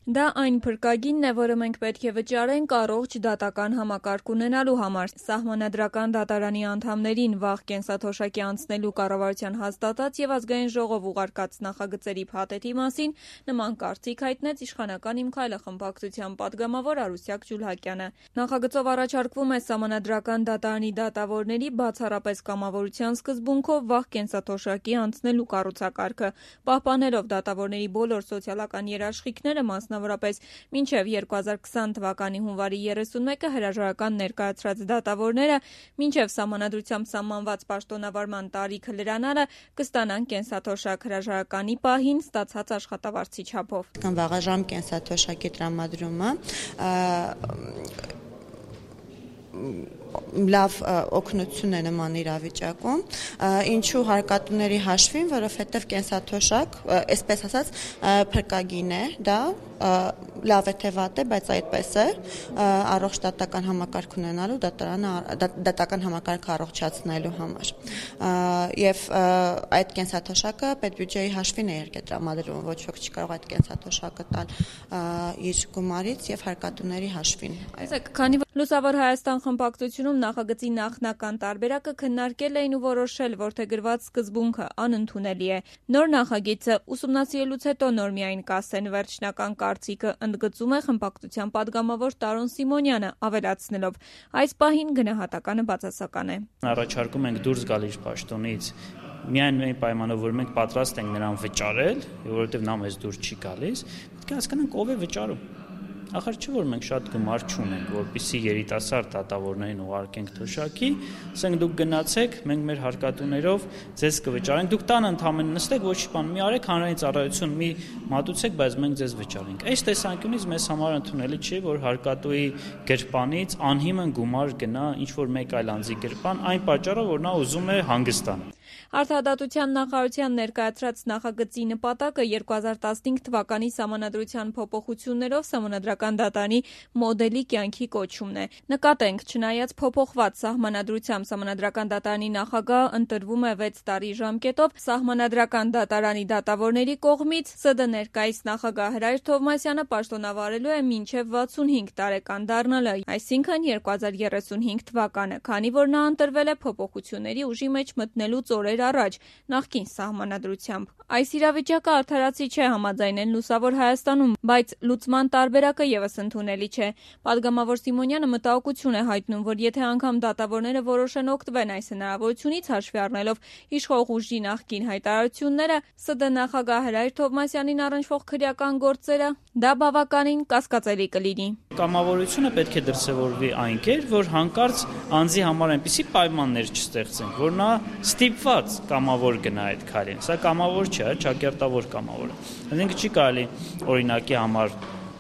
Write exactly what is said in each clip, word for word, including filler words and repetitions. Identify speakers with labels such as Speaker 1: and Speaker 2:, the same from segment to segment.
Speaker 1: Դա այն փրկագինն է, որը մենք պետք է վճարենք առողջ դատական համակարգ ունենալու համար։ Սահմանադրական դատարանի անդամներին վաղ կենսաթոշակի անցնելու կառավարության հաստատած եւ ազգային ժողով ուղարկած նախագծերի փաթեթի մասին նման կարծիք հայտնեց իշխանական «Իմ քայլը» խմբակցության պատգամավոր Արուսյակ Ջուլհակյանը։ Նախագծով առաջարկվում է սահմանադրական դատարանի դատավորների բացառապես կամավորության սկզբունքով վաղ կենսաթոշակի անցնելու կառուցակարգը, պահպանելով դատավորների բոլոր սոցիալական երաշխիքները, մասնավորապես մինչև երկու հազար քսան թվականի հունվարի երեսունմեկը հրաժարական ներկայացրած դատավորները մինչև սահմանադրությամբ սահմանված պաշտոնավարման տարիքը լրանալը կստանան կենսաթոշակ հրաժարականի պահին ստացած աշխատավարձի չափով։
Speaker 2: Վաղաժամ կենսաթոշակի տրամադրումը լավ օգնություն է նման իրավիճակում, ինչու հարկատուների հաշվին, որովհետև կենսաթոշակ, այսպես ասած, փրկագին է, դա լավ է թե վատ է, բայց այդպես է, առողջ դատական համակարգ ունենալու դատական համակարգը առողջացնելու համար։ Եվ այդ կենսաթոշակը պետբյուջեի հաշվին է տրամադրվում, ոչ ոք չի կարող այդ կենսաթոշակը տալ իր գումարից եւ հարկատուների հաշվին։
Speaker 1: Քանի որ Լուսավոր Հայաստան խմբակցությունում նախագծի նախնական տարբերակը քննարկել էին ու որոշել, որ թե գրված սկզբունքը անընդունելի է։ Նոր նախագիծը ուսումնասիրելուց հետո նոր միայն կասեն, վերջնական կարծիքը ընդգծում է խմբակցության պատգամավոր Տարոն Սիմոնյանը, ավելացնելով. այս պահին գնահատականը բացասական է։
Speaker 3: Առաջարկում ենք դուրս գալ իր պաշտոնից միայն այն պայմանով, որ մենք պատրաստ ենք նրան վճարել, որովհետև նա մեզ դուրս չի գալիս, պետք է հասկանանք ով է վճարում։ Ախր չէ որ մենք շատ գումար չունենք, որպեսզի երիտասարդ դատավորներին ուղարկենք թոշակի, ասենք դուք գնացեք, մենք մեր հարկատուներով ձեզ կվճարենք, դուք տանը ընդամենը նստեք, ոչ բան, մի արեք հանրային ծառայություն, մի մատուցեք, բայց մենք ձեզ վճարենք։ Այս տեսանկյունից մեզ համար ընդունելի չի, որ հարկատուի գրպանից անհիմն գումար գնա ինչ որ մեկ այլ անձի գրպան, այն պատճառով, որ նա ուզում է հանգստանալ։
Speaker 1: Արդարադատության նախարարության ներկայացրած նախագծի նպատակը երկու հազար տասնհինգ թվականի սահմանադրության փոփոխություններով սահմանադրական դատարանի մոդելի կյանքի կոչումն է։ Նկատենք, չնայած փոփոխված սահմանադրությամբ սահմանադրական դատարանի նախագահը ընտրվում է վեց տարի ժամկետով, սահմանադրական դատարանի դատավորների կողմից ՍԴ ներկայիս նախագահ Հրայր Թովմասյանը պաշտոնավարելու է մինչև վաթսունհինգ տարեկան դառնալը, այսինքն երկու հազար երեսունհինգ թվականը, քանի որ նա ընտրվել է փոփոխությունների ուժի մեջ մտնելուց օրեր առաջ նախկին սահմանադրությամբ։ Այս իրավիճակը արդարացի չէ համաձայնեն Լուսավոր Հայաստանում, բայց լուծման տարբերակը եւս ընդունելի չէ։ Պատգամավոր Սիմոնյանը մտահոգություն է հայտնում, որ եթե անգամ դատավորները որոշեն օգտվեն այս հնարավորությունից, հաշվի առնելով իշխող ուժի նախկին հայտարարությունները, ՍԴ նախագահ Հրայր Թովմասյանին առնչվող քրեական գործերը, դա բավականին կասկածելի կլինի։
Speaker 3: Կամավորությունը պետք է դրսևորվի այն կերպ, որ հանկարծ անձի համար այնպիսի պայմաններ չստեղծենք, որ նա ստիպված կամավոր գնա այդ քայլին։ Սա կամավոր չէ, ճակերտավոր կամավոր է։ Այսինքն չի կարելի օրինակի համար,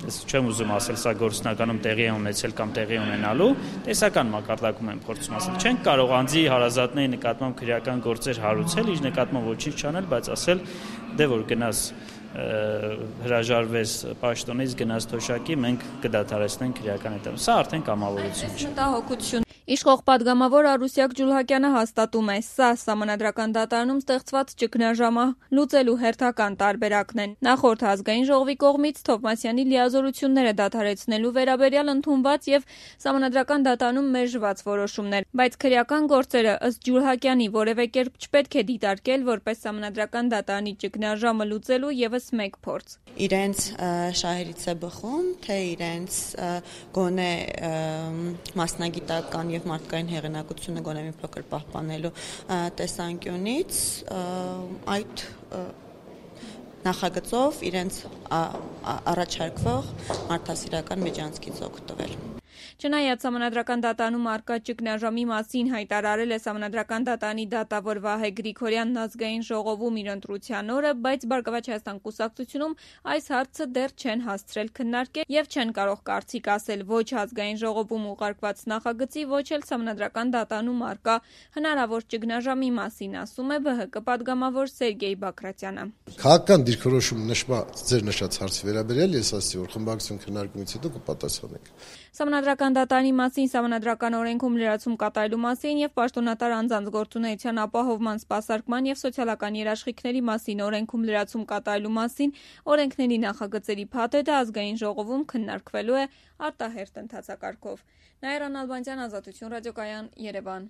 Speaker 3: ես չեմ ուզում ասել, սա գործնականում տեղի է ունեցել կամ տեղի ունենալու, տեսական մակարդակում եմ փորձում ասել, չենք կարող անձի հարազատների նկատմամբ քրեական գործեր հարուցել, իր նկատմամբ ոչինչ չանել, բայց ասել, դե որ գնաս հրաժարվես պաշտոնից, գնաս թոշակի, մենք կդադարեցնենք քրեական հետևում։ Սա արդեն կամավորություն չէ։
Speaker 1: Մտահոգություն Իշխող պատգամավոր Արուսյակ Ջուլհակյանը հաստատում է, սա սահմանադրական դատարանում ստեղծված ճգնաժամը լուծելու հերթական տարբերակն են։ Նախորդ ազգային ժողովի կողմից Թովմասյանի լիազորությունները դադարեցնելու վերաբերյալ ընդունված եւ սահմանադրական դատարանում մերժված որոշումներ, բայց քրեական գործերը ըստ Ջուլհակյանի որևէ կերպ չպետք է դիտարկել որպես սահմանադրական դատարանի ճգնաժամը լուծելու եւս մեկ փորձ։
Speaker 2: Իրենց շահերից է բխում, թե իրենց գոնե մասնագիտական եւ մարդկային հեղինակությունը գոնե մի փոքր պահպանելու տեսանկյունից այդ նախագծով իրենց առաջարկվող մարդասիրական միջանցքից օգտվել։
Speaker 1: Չնայած սահմանադրական դատարանում առկա ճգնաժամի մասին հայտարարել է սահմանադրական դատարանի դատավոր Վահե Գրիգորյանն ազգային ժողովում իր ընտրության օրը, բայց Բարգավաճ Հայաստան կուսակցությունում այս հարցը դեռ չեն հասցրել քննարկել եւ չեն կարող կարծիք ասել ոչ ազգային ժողովում ուղարկված նախագծի, ոչ էլ սահմանադրական դատարանում առկա հնարավոր ճգնաժամի մասին, ասում է ԲՀԿ պատգամավոր Սերգեյ Բակրատյանը։
Speaker 4: Քաղաքական դիրքորոշում նշված ձեր նշած հարցի վերաբերյալ ես ասացի, որ խմբակցություն քննարկումից հետո կպատասխանենք։
Speaker 1: Սահմանադրական Սահմանադրական դատարանի մասին, Սահմանադրական օրենքում լրացում կատարելու մասին եւ պաշտոնատար անձանց գործունեության ապահովման, սպասարկման եւ սոցիալական երաշխիքների մասին օրենքում լրացում կատարելու մասին օրենքների նախագծերի փաթեթը ազգային ժողովում քննարկվելու է արտահերթ ընթացակարգով։ Նաիրա Նալբանդյան, Ազատություն ռադիոկայան, Երևան։